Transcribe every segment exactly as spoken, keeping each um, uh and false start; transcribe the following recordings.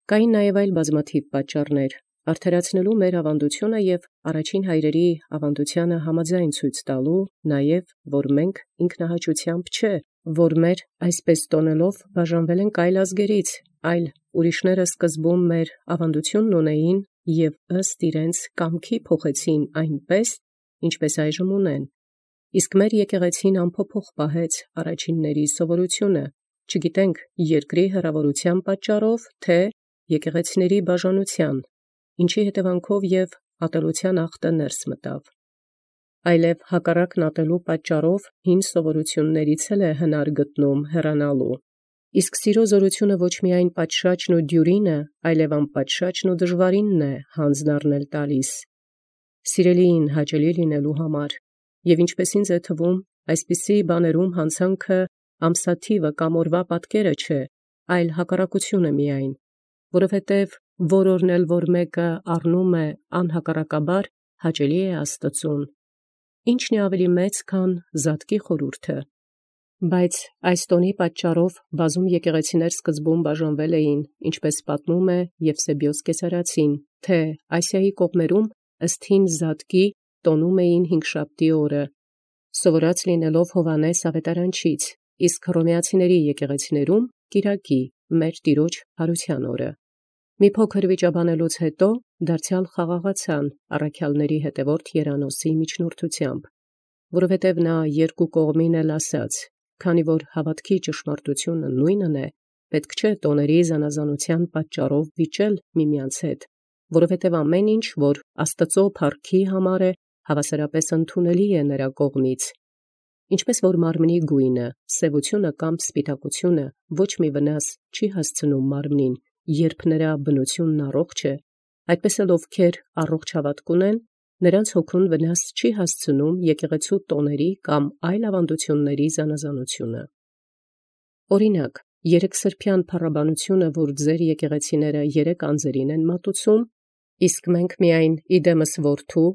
Կային նաև այլ բազմաթիվ պատճառներ, արդարացնելու մեր ավանդությունը և առաջին հայրերի ավանդությանը համաձայն ցույց տալու, նաև որ մենք ինքնահաճությամբ չէ, որ մեր այսպես տոնելով բաժանվել ենք այլ ազգերից, այլ ուրիշները սկզբում մեր ավանդությունն ունեին և ըստ իրենց կամքի փոխեցին այնպես, ինչպես այժմ ունեն, իսկ մեր եկեղեցին անփոփոխ պահեց առաջինների սովորությունը, չգիտենք երկրի հեռավորության պատճառով, թե եկեղեցիների բաժանության, ինչի հետևանքով և ատելության ախտը ներս մտավ, այլև հակառակն ատելու պատճառով հին սովորություններից էլ է հնար գտնում հեռանալու, իսկ սիրո զորությունը ոչ միայն պատշաճն ու դյուրինը, այլև անպատշաճն ու դժվարինն է հանձն առնել տալիս, սիրելիին հաճելի լինելու համար, և ինչպես ինձ է թվում, այսպիսի բաներում հանցանքը ամսաթիվը կամ օրվա պատկերը չէ, այլ հակառակությունը միայն, որովհետև որ օրն էլ որ մեկը առնում է անհակառակաբար, հաճելի է Աստծուն, ի՞նչն է ավելի մեծ, քան զատկի խորհուրդը, բայց այս տոնի պատճառով բազում եկեղեցիներ սկզբում բաժանվել էին, ինչպես պատմում է Եվսեբիոս կեսարացին, թե Ասիայի կողմերում ըստ հին զատկի տոնում էին հինգշաբթի օրը, սովորած լինելով Հովհաննես Ավետարանչից, իսկ հռոմեացիների եկեղեցիներում կիրակի, մեր Տիրոջ հարության օրը։ Մի փոքր վիճաբանելուց հետո դարձյալ խաղաղացան առաքյալների հետևորդ Երանոսի միջնորդությամբ, որովհետև նա երկու կողմին էլ ասաց, քանի որ հավատքի ճշմարտությունը նույնն է, պետք չէ տոների զանազանության պատճառով վիճել միմյանց հետ, որովհետև ամեն ինչ, որ Աստծո փառքի համար է, հավասարապես ընդունելի է նրա կողմից, ինչպես որ մարմնի գույնը, սևությունը կամ սպիտակությունը ոչ մի վնաս չի հասցնում մարմնին, երբ նրա բնությունն առողջ է, այդպես էլ ովքեր առողջ հավատք ունեն, նրանց հոգուն վնաս չի հասցնում եկեղեցու տոների կամ այլ ավանդությունների զանազանությունը։ Օրինակ, երեքսրբյան փառաբանությունը, որ ձեր եկեղեցիները երեք անձերին են մատուցում, իսկ մենք միայն իդեմս որդու,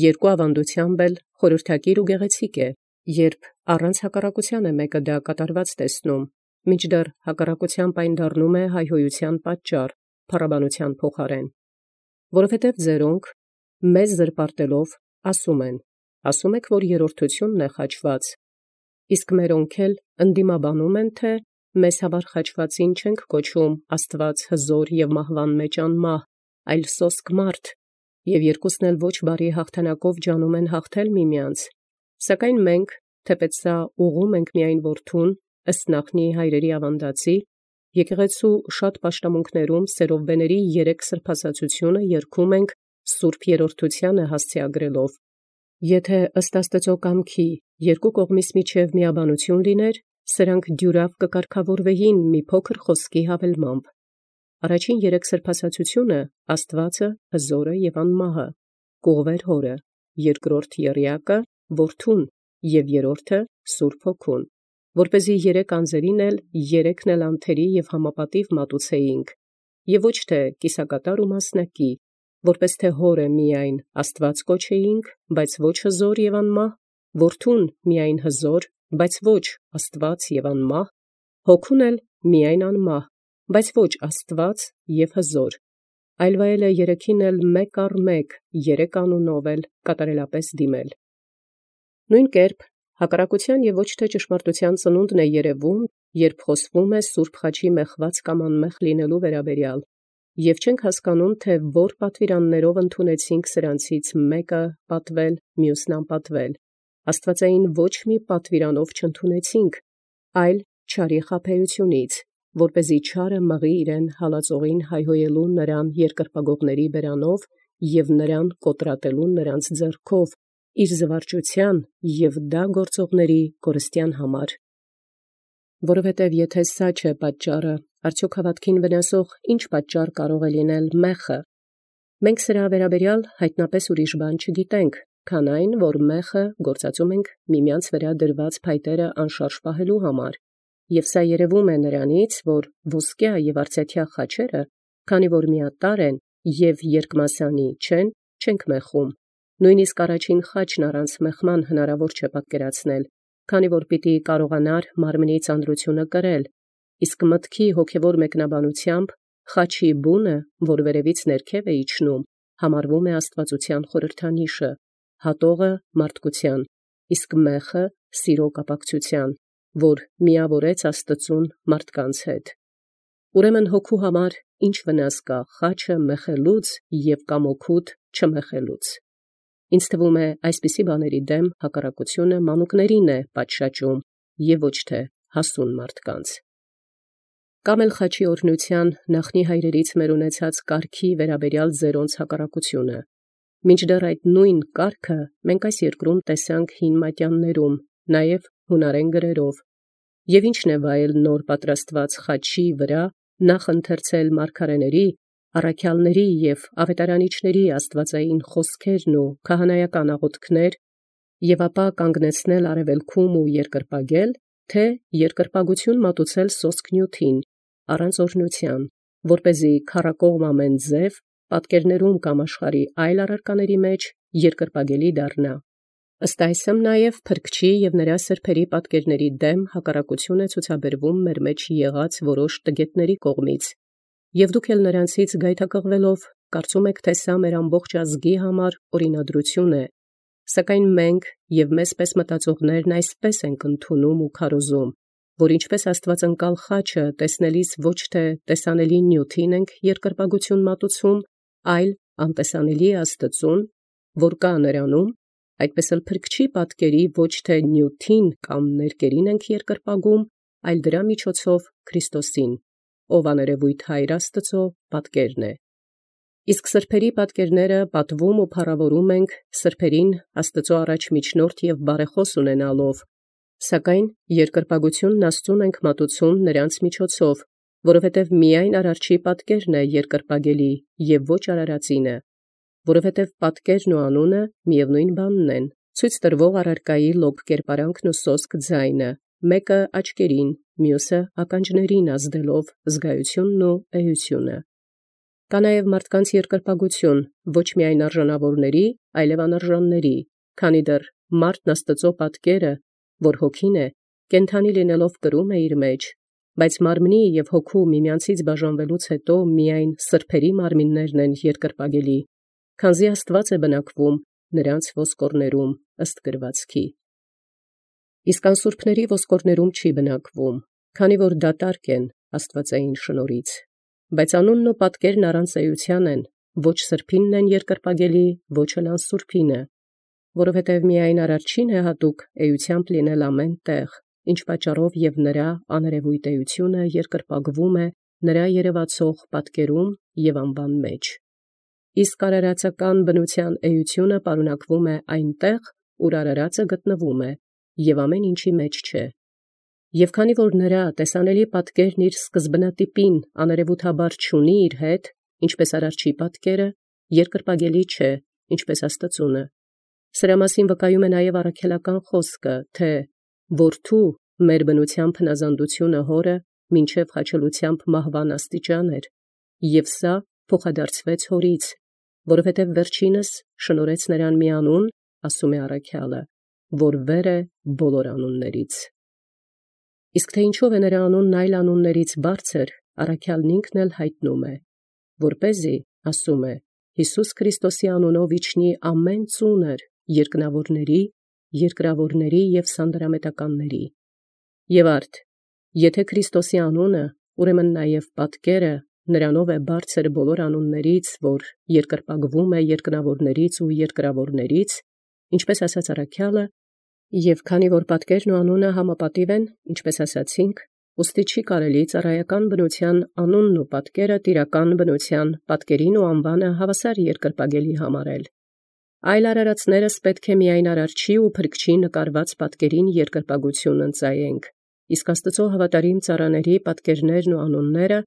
երկու ավանդությամբ էլ խորհրդակիր ու գեղեցիկ է, երբ առանց հակառակության է մեկը դա կատարված տեսնում, մինչդեռ հակառակությամբ այն դառնում է հայհոյության պատճառ, փառաբանության փոխարեն, որովհետև ձերոնք մեզ զրպարտելով ասում են, ասում եք, որ երրորդությունն է խաչված, իսկ մերոնք էլ ընդդիմաբանում են, թե մեզ հավար խաչվածին չենք կոչում Աստված հզոր և մահվան մեջ անմահ, այլ սոսկ մարդ, և երկուսն էլ ոչ բարի հաղթանակով ջանում են հաղթել միմյանց, սակայն մենք, թեպետ սա ուղղում ենք միայն որդուն, ըստ նախնի հայրերի ավանդացի, եկեղեցու շատ պաշտամունքներում սերովբեների երեք սրբասացությունը երգում ենք Սուրբ Երրորդությանը հասցեագրելով, եթե ըստ Աստծո կամքի երկու կողմից միջև միաբանություն լիներ, սրանք դյուրավ կկարգավորվեին մի փոքր խոսքի հավելմամբ։ Առաջին երեք սրբասացությունը Աստվածը, հզորը և անմահը, կուղվեր հորը, երկրորդ եռյակը որդուն և երրորդը Սուրբ Հոգուն, որպեսզի երեք անձերին էլ երեքն էլ անթերի և համապատիվ մատուցեինք, և ոչ թե կիսակատար ու մասնակի, որպես թե հորը միայն Աստված կոչեինք, բայց ոչ հզոր և անմահ, որդուն միայն հզոր, բայց ոչ Աստված և անմահ, Հոգուն էլ միայն անմահ, բայց ոչ Աստված և հզոր, այլ վայելը երեքին էլ մեկ առ մեկ, երեք անունով էլ կատարելապես դիմել։ Նույն կերպ հակառակության և ոչ թե ճշմարտության ծնունդն է երևում, երբ խոսվում է Սուրբ Խաչի մեխված կամ անմեխ լինելու վերաբերյալ, և չենք հասկանում, թե որ պատվիրաններով ընդունեցինք սրանցից մեկը պատվել, մյուսն անպատվել, աստվածային ոչ մի պատվիրանով չընդունեցինք, այլ չարի խաբեությունից, որպեսզի չարը մղի իրեն հալածողին հայհոյելու նրան երկրպագողների բերանով և նրան կոտրատելու նրանց ձեռքով, իր զվարճության և դա գործողների կորստյան համար։ Որովհետև եթե սա չէ պատճառը, արդյոք հավատքին վնասող ինչ պատճառ կարող է լինել մեխը։ Մենք սրա վերաբերյալ հայտնապես ուրիշ բան չգիտենք, քան այն, որ մեխը գործածում ենք միմյանց վրա դրված փայտերը անշարժ պահելու համար, և սա երևում է նրանից, որ ոսկյա և արծաթյա խաչերը, քանի որ միատարր են և երկմասանի չեն, չենք մեխում, նույնիսկ առաջին խաչն առանց մեխման հնարավոր չէ պատկերացնել, քանի որ պիտի կարողանար մարմնի ծանրությունը կրել, իսկ մտքի հոգևոր մեկնաբանությամբ խաչի բունը, որ վերևից ներքև է իջնում, համարվում է աստվածության խորհրդանիշը, հատողը մարդկության, իսկ մեխը սիրո կապակցության, որ միավորեց Աստծուն մարդկանց հետ։ Ուրեմն հոգու համար ինչ վնաս կա խաչը մեխելուց և կամոքուտ չմեխելուց։ Ինձ թվում է այսպիսի բաների դեմ հակառակությունը մանուկներին է պատշաճում և ոչ թե հասուն մարդկանց։ Կամ էլ խաչի օրհնության նախնի հայրերից մեր ունեցած կարգի վերաբերյալ ձերոնց հակառակությունը։ Մինչդեռ այդ նույն կարգը մենք այս երկրում տեսանք հին մատյաններում, նաև հունարեն գրերով, և ինչն է վայել նոր պատրաստված խաչի վրա նախ ընթերցել մարգարեների, առաքյալների և ավետարանիչների աստվածային խոսքերն ու քահանայական աղոթքներ, և ապա կանգնեցնել արևելքում ու երկրպագել, թե երկրպագություն մատուցել սոսկ նյութին, առանց օրհնության, որպեսզի քառակողմ ամեն ձև, պատկերներում կամ աշխարհի այլ առարկաների մեջ երկրպագելի դառնա։ Ըստ այսմ նաև փրկչի և նրա սրբերի պատկերների դեմ հակառակություն է ցուցաբերվում մեր մեջ եղած որոշ տգետների կողմից, և դուք էլ նրանցից գայթակղվելով կարծում եք, թե սա մեր ամբողջ ազգի համար օրինադրություն է, սակայն մենք և մեզպես մտածողներն այսպես ենք ընդունում ու քարոզում, որ ինչպես աստվածընկալ խաչը տեսնելիս ոչ թե տեսանելի նյութին ենք երկրպագություն մատուցում, այլ անտեսանելի Աստծուն, որ կա նրանում, այդպես էլ փրկչի պատկերի ոչ թե նյութին կամ ներկերին ենք երկրպագում, այլ դրա միջոցով Քրիստոսին, ով աներևույթ Հայր Աստծո պատկերն է։ Իսկ սրբերի պատկերները պատվում ու փառավորում ենք սրբերին Աստծո առաջ միջնորդ և բարեխոս ունենալով, սակայն երկրպագությունն Աստծուն ենք մատուցում նրանց միջոցով, որովհետև միայն արարչի պատկերն է երկրպագելի և ոչ արարածինը, որովհետև պատկերն ու անունը միևնույն բանն են, ցույց տրվող առարկայի լոկ կերպարանքն ու սոսկ ձայնը, մեկը աչքերին, մյուսը ականջներին ազդելով զգայությունն ու էությունը։ Կա նաև մարդկանց երկրպագություն, ոչ միայն արժանավորների, այլև անարժանների, քանի դեռ մարդն Աստծո պատկերը, որ հոգին է, կենդանի լինելով կրում է իր մեջ, բայց մարմնի և հոգու միմյանցից բաժանվելուց հետո միայն սրբերի մարմիններն են երկրպագելի, քանզի Աստված է բնակվում նրանց ոսկորներում ըստ գրվածքի։ Իսկ անսուրբների ոսկորներում չի բնակվում, քանի որ դատարկ են աստվածային շնորհից, բայց անունն ու պատկերն առանց էության են, ոչ սրբինն են երկրպագելի, ոչ էլ անսուրբինը, որովհետև միայն արարչին է հատուկ էությամբ լինել ամեն տեղ, ինչ պատճառով և նրա աներևույթ էությունը երկրպագվում է նրա երևացող պատկերում և անվան մեջ։ Իսկ արարածական բնության էությունը պարունակվում է այնտեղ, ուր արարածը գտնվում է, և ամեն ինչի մեջ չէ։ Եվ քանի որ նրա տեսանելի պատկերն իր սկզբնատիպին աներևութաբար չունի իր հետ, ինչպես արարչի պատկերը, երկրպագելի չէ, ինչպես Աստծունը։ Սրա մասին վկայում է նաև առաքելական խոսքը, թե «Որդու մեր բնությամբ հնազանդությունը հորը մինչև խաչելությամբ մահվան աստիճան էր, և սա փոխադարձվեց հորից, որովհետև վերջինս շնորհեց նրան մի անուն, ասում է առաքյալը, որ վեր է բոլոր անուններից»։ Իսկ թե ինչով է նրա անունն այլ անուններից բարձր, առաքյալն ինքն էլ հայտնում է, որպեսզի, ասում է, Հիսուս Քրիստոսի անունով իջնի ամեն ծունր երկնավորների, երկրավորների և սանդրամետականների։ Եվ արդ, եթե Քրիստոսի անունը, ուրեմն նաև պատկերը նրանով է բարձր բոլոր անուններից, որ երկրպագվում է երկնավորներից ու երկրավորներից, ինչպես ասաց առաքյալը, և քանի որ պատկերն ու անունը համապատիվ են, ինչպես ասացինք, ուստի չի կարելի ծառայական բնության անունն ու պատկերը տիրական բնության պատկերին ու անվանը հավասար երկրպագելի համարել։ Այլ արարածներս պետք է միայն արարչի ու փրկչի նկարված պատկերին երկրպագություն ընծայենք, իսկ Աստծո հավատարիմ ծառաների պատկերներն ու անունները,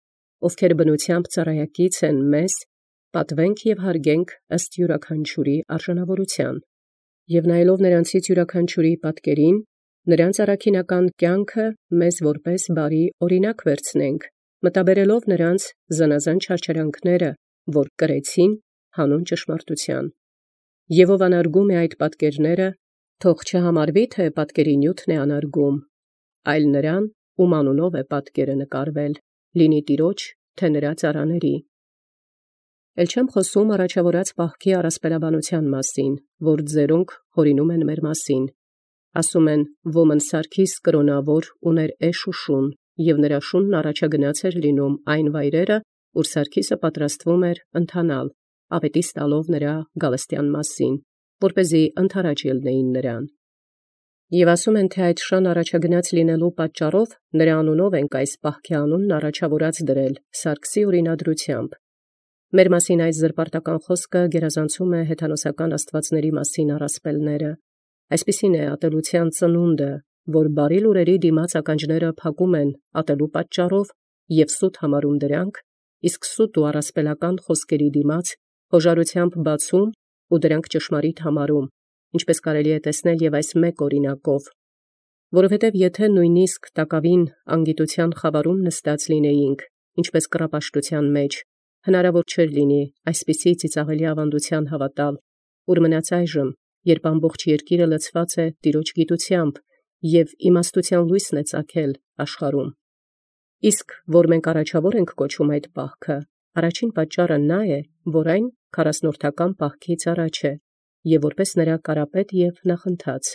ովքեր բնությամբ ծառայակից են մեզ, պատվենք և հարգենք ըստ յուրաքանչյուրի արժանավորության։ Եվ նայելով նրանցից յուրաքանչյուրի պատկերին, նրանց առաքինական կյանքը մեզ որպես բարի օրինակ վերցնենք, մտաբերելով նրանց զանազան չարչարանքները, որ կրեցին հանուն ճշմարտության։ Եվ ով անարգում է այդ պատկերները, թող չհամարվի, թե պատկերի նյութն է անարգում, այլ նրան, ում անունով է պատկերը նկարվել, լինի Տիրոջ թե նրա ծառաների։ Էլ չեմ խոսում առաջավորած պահքի առասպելաբանության մասին, որ ձերոնք հորինում են մեր մասին։ Ասում են, ոմն Սարգիս կրոնավոր ուներ էշ ու շուն, և նրա շունն առաջագնաց էր լինում այն վայրերը, ուր Սարգիսը պատրաստվում էր ընթանալ, աղետի ստալով նրա գալստյան մասին, որպեսզի ընդառաջ ելնեին նրան։ Եվ ասում են, թե այդ շան առաջագնաց լինելու պատճառով նրա անունով ենք այս պահքի անունն առաջավորած դրել Սարգսի օրինադրությամբ։ Մեր մասին այս զրպարտական խոսքը գերազանցում է հեթանոսական աստվածների մասին առասպելները։ Այսպիսին է ատելության ծնունդը, որ բարի լուրերի դիմաց ականջները փակում են ատելու պատճառով և սուտ համարում դրանք, իսկ սուտ ու առասպելական խոսքերի դիմաց հոժարությամբ բացում ու դրանք ճշմարիտ համարում, ինչպես կարելի է տեսնել և այս մեկ օրինակով։ Որովհետև եթե նույնիսկ տակավին անգիտության խավարում նստած լինեինք, ինչպես կռապաշտության մեջ, հնարավոր չէր լինի այսպիսի ծիծաղելի ավանդության հավատալ, ուր մնաց այժմ, երբ ամբողջ երկիրը լցված է Տիրոջ գիտությամբ և իմաստության լույսն է ծագել աշխարհում։ Իսկ որ մենք առաջավոր ենք կոչում այդ պահքը, առաջին պատճառը նա է, որ այն քառասնորդական պահքից առաջ է, և որպես նրա կարապետ և նախընթաց։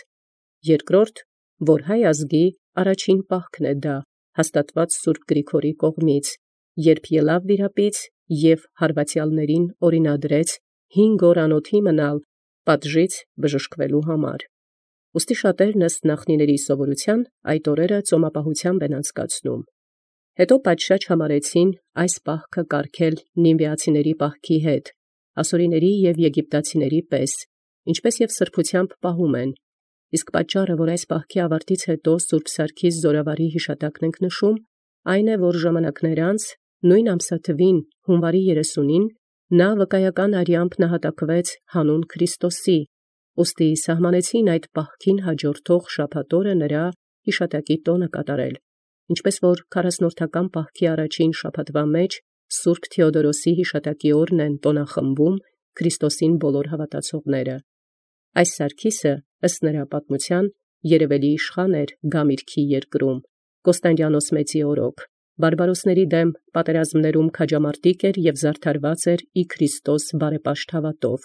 Երկրորդ, որ հայ ազգի առաջին պահքն է դա, հաստատված Սուրբ Գրիգորի կողմից, երբ ելավ վիրապից և հարվածյալներին օրինադրեց հինգ օր անոթի մնալ պատժից բժշկվելու համար։ Ուստի շատերն ըստ նախնիների սովորության այդ օրերը ծոմապահությամբ են անցկացնում։ Հետո պատշաճ համարեցին այս պահքը կարգել նինվիացիների պահքի հետ, ասորիների և եգիպտացիների պես, ինչպես և սրբությամբ պահում են։ Իսկ պատճառը, որ այս պահքի ավարտից հետո Սուրբ Սարգիս զորավարի հիշատակն ենք նշում, այն է, որ ժամանակներ անց, նույն ամսաթվին հունվարի երեսունին, նա վկայական արյամբ նահատակվեց հանուն Քրիստոսի, ուստի սահմանեցին այդ պահքին հաջորդող շաբաթօրը նրա հիշատակի տոնը կատարել, ինչպես որ քառասնորդական պահքի առաջին շաբաթվա մեջ Սուրբ Թեոդորոսի հիշատակի օրն են տոնախմբում Քրիստոսին բոլոր հավատացողները։ Այս Սարգիսը, ըստ նրա պատմության, երևելի իշխան էր Գամիրքի երկրում, Կոստանդիանոս մեծի օրոք, բարբարոսների դեմ պատերազմներում քաջամարտիկ էր և զարդարված էր ի Քրիստոս բարեպաշտ հավատով։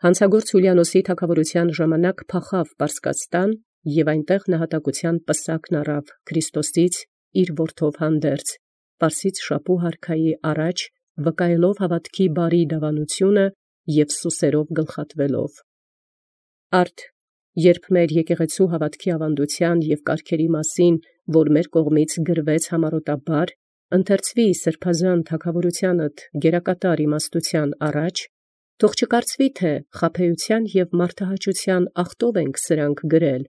Հանցագործ Յուլիանոսի թագավորության ժամանակ փախավ Պարսկաստան և այնտեղ նահատակության պսակն առավ Քրիստոսից իր որդով հանդերձ, Պարսից շապու հարքայի առաջ վկայելով հավատքի բարի դավանությունը և սուսերով գլխատվելով։ Արդ երբ մեր եկեղեցու հավատքի ավանդության և կարգերի մասին, որ մեր կողմից գրվեց համառոտաբար, ընթերցվի սրբազան թագավորությանդ գերակատար իմաստության առաջ, թող չկարծվի, թե խաբեության և մարդահաճության ախտով ենք սրանք գրել,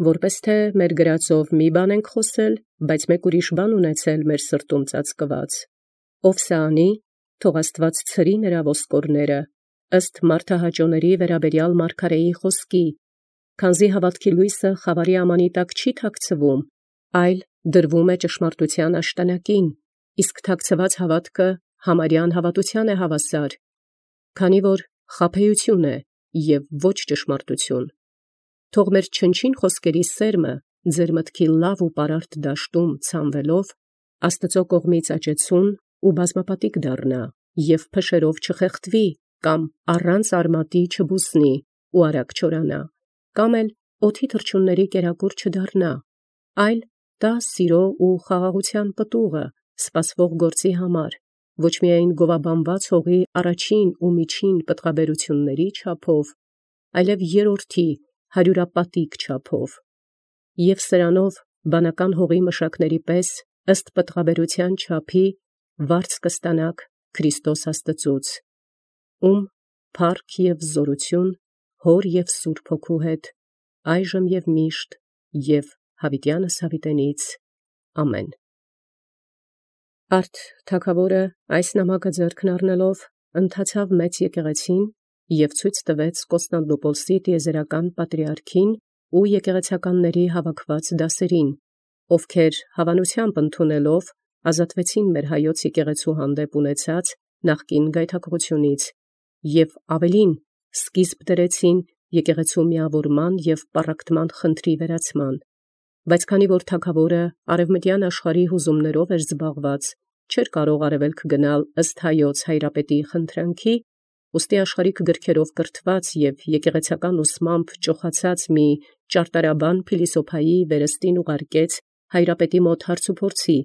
որպես թե մեր գրածով մի բան ենք խոսել, բայց մեկ ուրիշ բան ունեցել մեր սրտում ծածկված։ Ով սա անի, թող Աստված ցրի նրա ոսկորները, ըստ մարդահաճոների վերաբերյալ մարգարեի խոսքի, քանզի հավատքի լույսը խավարի ամանի տակ չի թաքցվում, այլ դրվում է ճշմարտության աշտանակին, իսկ թաքցված հավատքը համարյան հավատության է հավասար, քանի որ խաբեություն է և ոչ ճշմարտություն։ Թող մեր չնչին խոսքերի սերմը ձեր մտքի լավ ու պարարտ դաշտում ցանվելով Աստծո կողմից աճեցուն ու բազմապատիկ դառնա և փշերով չխեղդվի կամ առանց արմատի չբուսնի ու արագ չորանա, կամ էլ օդի թռչունների կերակուր չդառնա, այլ տա սիրո ու խաղաղության պտուղը սպասվող գործի համար, ոչ միայն գովաբանված հողի առաջին ու միջին պտղաբերությունների չափով, այլև երրորդի հարյուրապատիկ չափով, և սրանով բանական հողի մշակների պես ըստ պտղաբերության չափի վարձ կստանաք Քրիստոս Աստծուց, ում փառք և զորություն Հոր և Սուրբ Հոգու հետ, այժմ և միշտ և հավիտյանս հավիտենից ամեն։ Արդ թագավորը այս նամակը ձեռքն առնելով ընթացավ մեծ եկեղեցին և ցույց տվեց Կոստանդնուպոլսի տիեզերական պատրիարքին ու եկեղեցականների հավաքված դասերին, ովքեր հավանությամբ ընդունելով ազատվեցին մեր հայոց եկեղեցու հանդեպ ունեցած նախկին գայթակղությունից և ավելին սկիզբ դրեցին եկեղեցու միավորման և պառակտման խնդրի վերացման, բայց քանի որ թագավորը արևմտյան աշխարհի հուզումներով էր զբաղված չէր կարող արևելք գնալ ըստ հայոց հայրապետի խնդրանքի, ուստի աշխարհիկ գրքերով կրթված և եկեղեցական ուսմամբ ճոխացած մի ճարտարաբան փիլիսոփայի վերստին ուղարկեց հայրապետի մոտ հարցուփորձի,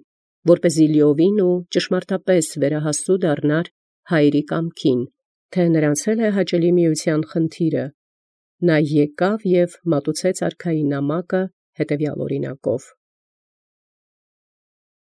որպեսզի լիովին ու ճշմարտապես վերահասու դառնար հայրի կամքին, թե նրանցել է հաճելի միության խնդիրը։ Նա եկավ և մատուցեց արքայի նամակը հետևյալ օրինակով.